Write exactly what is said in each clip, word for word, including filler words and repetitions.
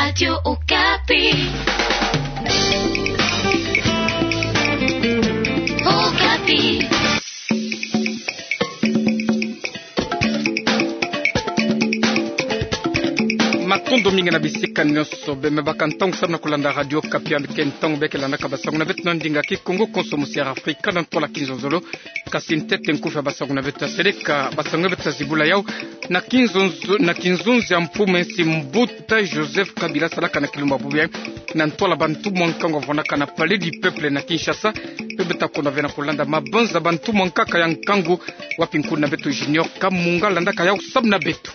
Radio Okapi. Okapi. Matondo mingi na bisika nyonso bie me baka ntangu samu na kulanda Radio Okapi, yandi ke ntangu bie ke landaka basangu na beto na ndinga Kikongo, konso musi ya Afrika na ntwala kinzonzolo. Kasi ntete nkufi ya basangu na beto ya seleka, basangu beto ta zibula yau na kinzonzo, na kinzonzi ya mfumu ya nsi Mbuta Joseph Kabila salaka na kilumbu ya bubu yai na ntwala bantumwa nkangu ya vwanaka na Palais du Peuple na Kinshasa. Bie beto ta konda ve na kulanda mabanza bantumwa nkaka ya nkangu, wapi nkuna beto Junior Kamunga landaka yau samu na beto.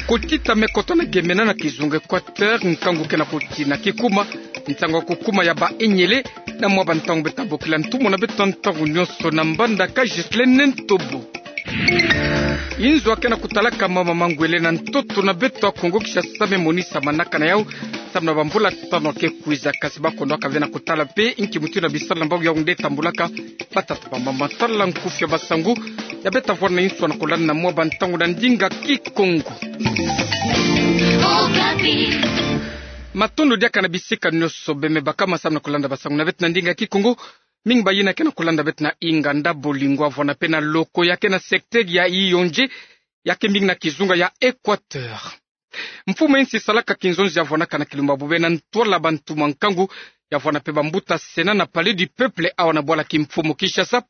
Kotita me kota na gemena na kizunga Équateur, nkangu ke na kotina kikuma, nsangu ya kukuma ya ba enyele na mwa bantangu beto ta bokila ntumwa na beto ntangu nyonso na mbandaka Ghislaine Ntobo. Inzo ya ke na kutalaka mama mangwele na ntoto na beto ya Kongo Kinshasa me monisa manaka na yau samu na bamvula tanu ya ke kwiza, kasi ba kondwaka ve na kutala mpe nki mutindu na bisalu na mbangu yau nde tambulaka. Batata, bamama, tala nkufi ya basangu ya beto ta vwanda na insu na kulanda na mwa bantangu na ndinga Kikongo. Matondo diaka na bisika nyonso bie me baka ma samu na kulanda basangu na beto na ndinga Kikongo. Mingi bayina ke na kulanda beto na inganda, bolingo ya vwanda mpe na loko ya ke na secteur ya Yondé, ya ke mingi na kizunga ya Équateur. Mfumu ya nsi salaka kinzonzi ya vwanaka na kilumbu ya bubu yai na ntwala bantumwa nkangu ya vwanda mpe bambuta Sénat na Palais du Peuple awa na bwala kimfumu Kinshasa.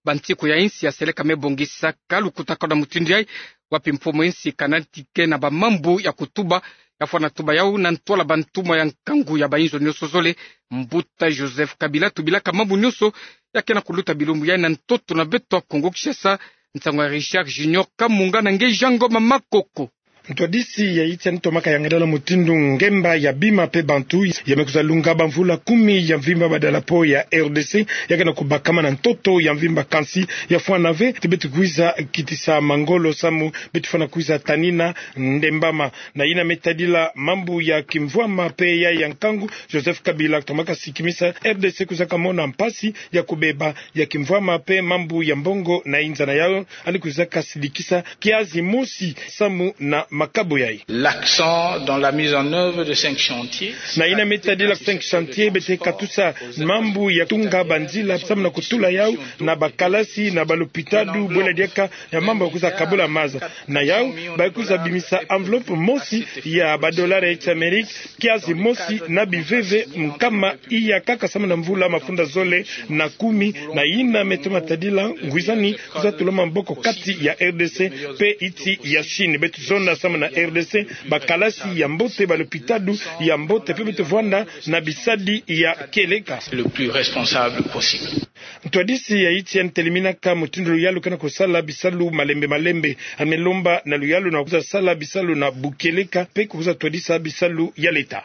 Bantiku ya insi ya seleka me bongisaka lukutakanu na mutindu yai, wapi mfumu ya nsi kanatike na bamambu ya kutuba ya vwanda tuba yau na ntwala bantumwa ya nkangu ya bainzo nyonso zole. Mbuta Joseph Kabila tubilaka mambu nyonso ya ke na kuluta bilumbu yai na ntoto na beto ya Kongo Kinshasa. Nsangu ya Richard Junior Kamunga na nge Jean Ngoma Makoko. Ntwadisi ya yiti yandi tomaka yangalala mutindu ngemba ya bima mpe bantu ya me kwiza lunga bamvula kumi ya mvimba badalapo ya R D C ya ke na kubakama na ntoto ya mvimba, kansi ya fwana ve ti beto kwiza kitisa mangolo samu beto fwana kwiza tanina ndembama. Na yina me tadila mambu ya kimvwama mpe ya ya nkangu, Joseph Kabila tomaka sikimisa R D C kwizaka mona mpasi ya kubeba ya kimvwama mpe mambu ya mbongo na inza na yau, yandi kwizaka sidikisa kiazi mosi samu na makabu yai. L'accent dans la mise en œuvre de cinq chantiers. Na yina me tadila cinq chantiers, beto katusa mambu ya tunga banzila samu na kutula yau na bakalasi na balopitalo, bwela diaka ya mambu ya kwiza kabula maza. Na yau ba kwiza bimisa enveloppe mosi ya badolari ya Amerika, kiazi mosi na biveve nkama iya kaka samu na mvula mafunda zole na kumi. Na yina me toma tadila ngwizani kwiza tula maboko kati ya R D C mpe yiti ya Chine. Beto zonda samu na R D C bakalasi ya mbote, balopitalo ya mbote mpe beto vwanda na bisadi ya kieleka. Le plus responsable possible. Ntwadisi ya yiti yandi teleminaka mutindu luyalu ke na kusala bisalu malembe malembe. Yandi me lomba na luyalu na kwiza sala bisalu na bukieleka mpe kwiza twadisa bisalu ya leta.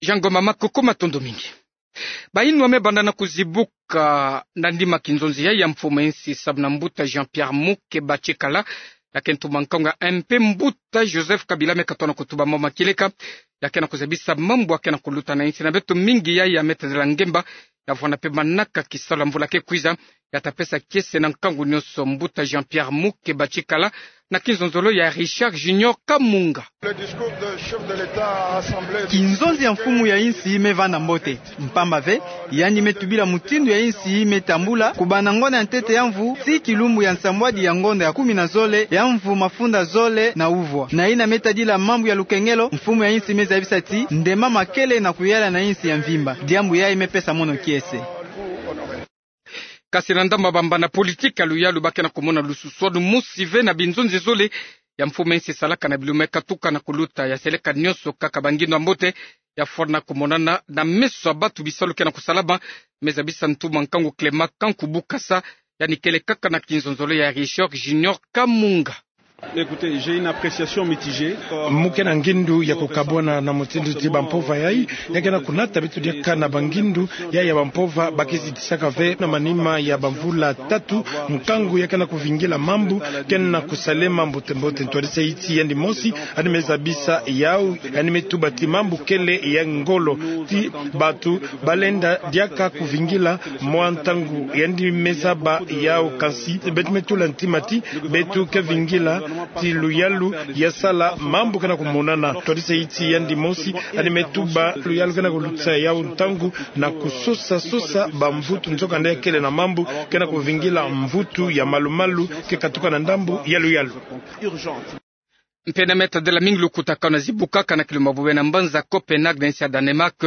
Jean Ngoma Makoko, matondo mingi. Bayinwa me banda na kuzibuka na ndima kinzonzi yai ya mfumu ya nsi samu na mbuta Jean-Pierre Mukeba Tshikala, ya ke ntumwa nkangu ya M P mbuta Joseph Kabila me katona kutuba mama kieleka, ya ke na kuzabisa mambu ya ke na kuluta na insi na beto. Mingi yai ya me tadila ngemba ya vwanda mpe manaka kisalu ya mvula ke kwiza, ya ta pesa kiese na nkangu nyonso. Mbuta Jean-Pierre Mukeba Tshikala na kinzonzolo ya Richard Junior Kamunga. Kinzonzi ya mfumu ya insi me vanda mbote, mpamba ve yandi me tubila mutindu ya insi me tambula kubanda ngonda ya ntete ya mvu tii kilumbu ya nsambwadi ya ngonda ya kumi na zole ya mvu mafunda zole na uvwa. Na yina me tadila mambu ya lukengelo, mfumu ya insi me zabisa ti ndembama kele na kuyala na insi ya mvimba. Diambu yai me pesa mono kiese. Kasi na ndambu ya bambanda politiki ya luyalu ba ke na kumona lususwanu mosi ve na binzonzi zole ya mfumu ya insi salaka na bilumbu me katuka na kuluta. Ya seleka nyonso kaka bangindu ya mbote ya fwana kumonana na meso ya bantu. Bisalu ke na kusalama me zabisa ntumwa nkangu Clément Kankubu Kasa, yandi kele kaka na kinzonzolo ya Richard Junior Kamunga. Écoutez, j'ai une appréciation mitigée. Mu ke na ngindu ya kukabwana na mutindu ti bampova yai ya ke na kunata beto diaka na bangindu yai ya bampova ba ke zitisaka ve na manima ya bamvula tatu. Nkangu ya ke na kuvingila mambu ke na kusalema mbote mbote. Ntwadisi ya yiti yandi mosi yandi me zabisa yau, yandi me tuba ti mambu kele ya ngolo ti bantu ba lenda diaka kuvingila mwa ntangu. Yandi me zaba yau, kansi beto me tula ntima ti beto ke vingila ti luyalu ya sala mambu ke na kumonana. Twadisa ti yandi mosi, yandi me tuba luyalu ke na kulutisa yau ntangu na kusosa sosa bamvutu nzoka nde kele na mambu ke na kuvingila mvutu ya malu-malu ke katuka na ndambu ya luyalu. Mpe na me tadila mingi lukutakanu zibukaka na kilumbu ya bobo na mbanza Copenhague na insi ya Danemark,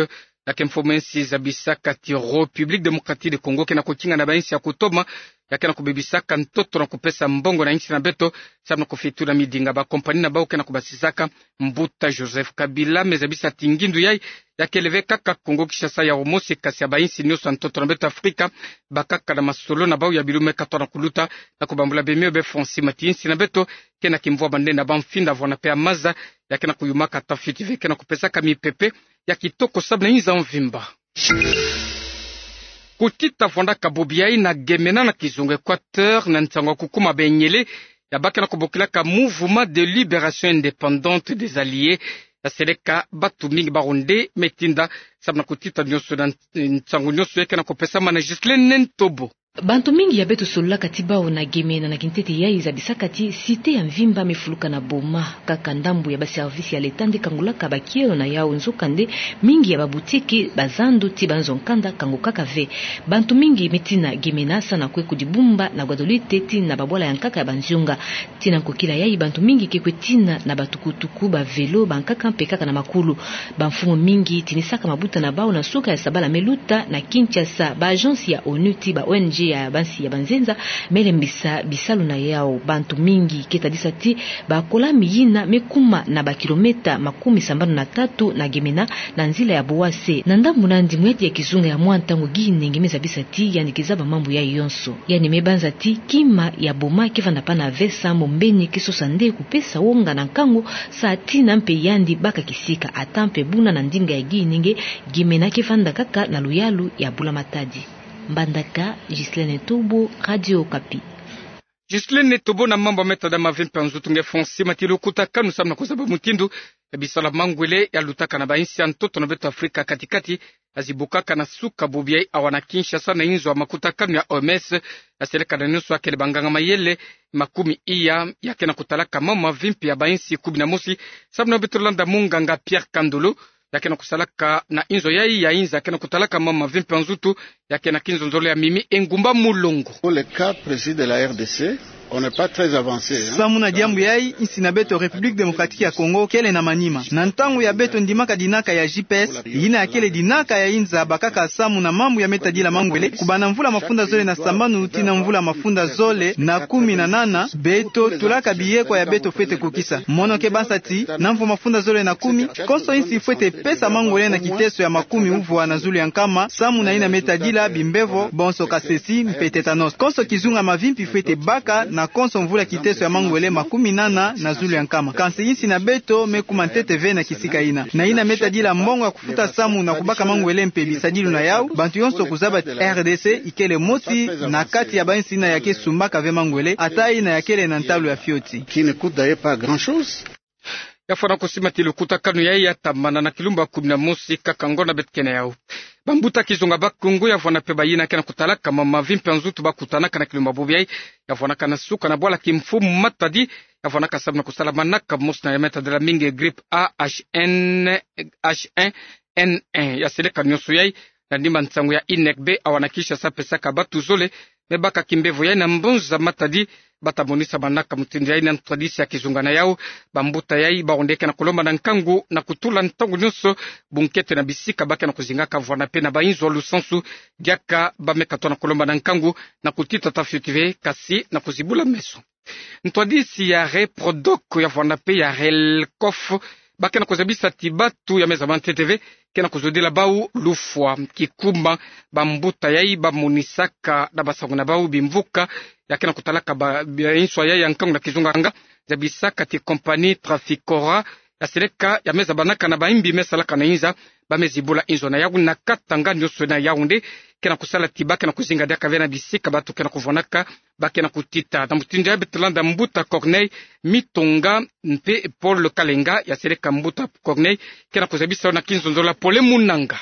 ya ke mfumu insi zabisaka ti République Démocratique du Congo ke na kukinga na bainsi ya kutoma ya ke na kubebisaka ntoto na kupesa mbongo na insi na beto, samu na kufitula midinga bakompani na bau ke na kubasisaka. Mbuta Joseph Kabila me zabisa ti ngindu yai ya kele ve kaka Congo Kinshasa yau mosi, kasi ya bainsi nyonso ya ntoto na beto Afrika bakaka na masolo na bau ya bilu me katwa na kuluta, na kubambula bemio be fwa nsima ti insi na beto ke na kimvwama nde na bamfinda vwana pe ya maza ya ke na kuyumaka, ata fioti ve ke na kupesaka mipepe ya kitoko samu na inza mvimba. Kutita vwandaka bobi yai na Gemena na kizunga Équateur na nsangu ya kukuma banyele ya ba ke na kubokilaka Mouvement de Libération Indépendante des Alliés, ya seleka bantu mingi bawu nde me tinda samu na kutita nyonso na nsangu nyonso ya ke na kupesama na Ghislaine Ntobo. Bantu mingi ya beto sololaka ti bau na Gemena na kintete yai zabisaka ti cité ya mvimba me fuluka na boma. Kaka ndambu ya baservice ya leta nde kangulaka bakielo na yau, nzoka nde mingi ya babutike, bazando ti banzo-nkanda kangukaka ve. Bantu mingi me tina Gemena samu na kwe kudibumba na Guadeloupe ti na babwala ya nkaka ya banzonga. Ti na nkokila yai bantu mingi ke kwe tina na batukutuku, bavelo, bankaka mpe kaka na makulu. Bamfumu mingi tinisaka mabuta na bau na nsuka ya sabala me luta na Kinshasa. Baagence ya onu ti ba-O N G ya bansi ya banzenza me lembisa bisalu na yau. Bantu mingi ke tadisa ti bakolami yina me kuma na bakilometa makumi sambanu na tatu na Gemena na nzila ya Bouassé. Na ndambu na yandi, muyadi ya kizunga ya mwa ntangu ginenge me zabisa ti yandi ke zaba mambu yai yonso. Yandi me banza ti kima ya boma ke vanda pana ve samu mbeni ke sosa nde kupesa wonga na nkangu, sa tina mpe yandi baka kisika. Ata mpe buna na ndinga ya ginenge, Gemena ke vanda kaka na luyalu ya bula-matadi. Mbandaka, Ghislaine Ntobo, Radio Okapi. Ghislaine Ntobo na mambu ya me tada mavi mpe ya nzutu. Nge fwa nsima ti lukutakanu samu na kuzaba mutindu ya bisalu ya mangwele ya lutaka na bainsi ya ntoto na beto Afrika kati-kati, ya zibukaka na suka bobi yai awa na Kinshasa na inzo ya makutakanu ya O M S, ya seleka na nyonso ya kele banganga-mayele makumi iya ya ke na kutalaka mambu mavi mpe ya bainsi kumi na mosi, samu na beto landa munganga Pierre Kandolo, ya ke na kusalaka na inzo yai ya inza ya ke na kutalaka mambu mavi mpe ya nzutu, ya ke na kinzonzolo ya Mimi Engumba Mulongo. Pour le cas précis de la R D C, on n'est pas très avancé, hein. Samu na diambu yai, insi na beto République Démocratique ya Congo kele na manima. Na ntangu ya beto ndimaka dinaka ya G P S, yina ya kele dinaka ya inza bakaka samu na mambu ya me tadila mangwele, kubanda mvula mafunda zole na sambanu tii na mvula mafunda zole na kumi na nana, beto tulaka biyekwa ya beto fwete kukisa. Mono ke banza ti, na mvu mafunda zole na kumi, konso insi fwete pesa mangwele na kiteso ya makumi uvwa na zulu ya nkama, samu na yina me tadila bimbevo, bonso kasesi, mpe tétanos. Konso kizunga mavi mpe fwete baka na konso mvula kiteso ya mangwele makumi nana na zulu ya nkama. Kansi insi na beto me kuma ntete ve na kisika yina. Na yina me tadila mbongo ya kufuta samu na kubaka mangwele mpe bisadilu na yau, bantu yonso kuzaba ti R D C ikele mosi na kati ya bainsi yina ya ke sumbaka ve mangwele, ata yina ya kele na ntalu ya fioti. Qui ne coûte d'ailleurs pas grand-chose. Ya fwana kusima ti lukutakanu yai ya tambana na kilumbu ya kumi na mosi kaka ngonda beto ke na yau. Bambuta kizunga Bakongo ya vwana pe bayina ke na kutalaka mambu mavi mpe ya nzutu bakutanaka na kilumbu ya bobi yai, ya vwanaka na suka na bwala Kimfumu Matadi, ya vwanaka samu na kusala manaka mosi na ya me tadila mingi grippe A H N, H un N un. Ya seleka nyonso yai na ndimba nsangu ya INECB awa na Kinshasa pesaka bantu zole me baka kimbevo yai na mbonza Matadi, bata monisa manaka mutindu yai na ntwadisi ya kizunga na yau. Bambuta yai bawu nde ke na kulomba na nkangu na kutula ntangu nyonso bunkete na bisika ba ke na kuzingaka vwana pe na bainzo ya lusansu, diaka ba me katwa na kulomba na nkangu na kutita ata fioti ve, kasi na kuzibula meso. Ntwadisi ya Reprodoc ya vwana pe ya Relcof ba ke na kuzabisa ti bantu ya me zaba ntete ve ke na kuzodila bau lufwa. Kikuma, bambuta yai bamonisaka na basangu na bau bimvuka ya ke na kutalaka ba, ba inswa yai ya nkangu na kizunga nga zabisaka ti compagnie Traficora ya seleka ya me zabanaka na baimbi me salaka na inza bamezi bula inzo na Yaoundé na Katanga, nyonso na Yaoundé, ke na kusala ti ba ke na kuzinga diaka ve na bisika bato ke na kuvwanaka, ba ke na kutita. Na mutindu yayi beto landa mbuta Corneille Mitonga mpe Paul Kalenga, ya seleka mbuta Corneille, ke na kuzabisa yo na kinzonzolo ya pole mu nanga.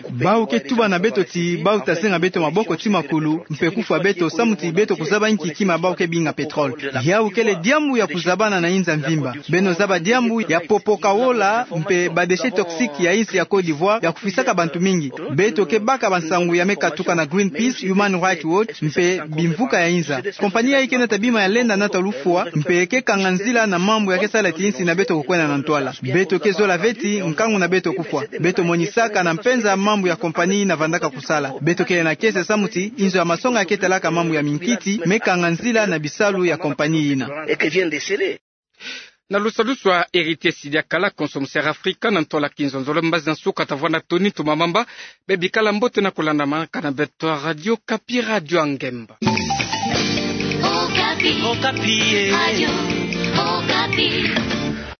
Bawu ke tuba na beto ti bawu ta zenga beto maboko ti makulu mpe kufwa beto samu ti beto kuzaba inki kima bawu ke binga pétrole. Yawu kele diambu ya kuzabana na inza mvimba. Beno zaba diambu ya popoka wola mpe ba déchets toxiques ya insi ya Côte d'Ivoire ya kufwisaka bantu mingi. Beto ke baka bansangu ya me katuka na Greenpeace, Human Rights Watch mpe bimvuka ya inza. Compagnie yayi ke nata bima ya lenda nata lufwa mpe ke kanga nzila na mambu ya ke sala ti insi na beto kukwenda na ntwala. Beto ke zola ve ti nkangu na beto kufwa. Beto monisaka na mpenza mambu ya compagnie yina vandaka kusala. Beto kele na kiese samu ti inzo ya masonga ya ke talaka mambu ya minkiti me kanga nzila na bisalu ya compagnie yina. Na lusalusu ya Héritier Sidi Akala, konso musi Afrika na ntwala kinzonzolo, mbazi na nsuka ta vwanda toni ntoma mamba. Bebikala mbote na kulandamanaka na beto Radio Okapi, radio ya ngemba. Okapi. Okapi, eh. Radio Okapi.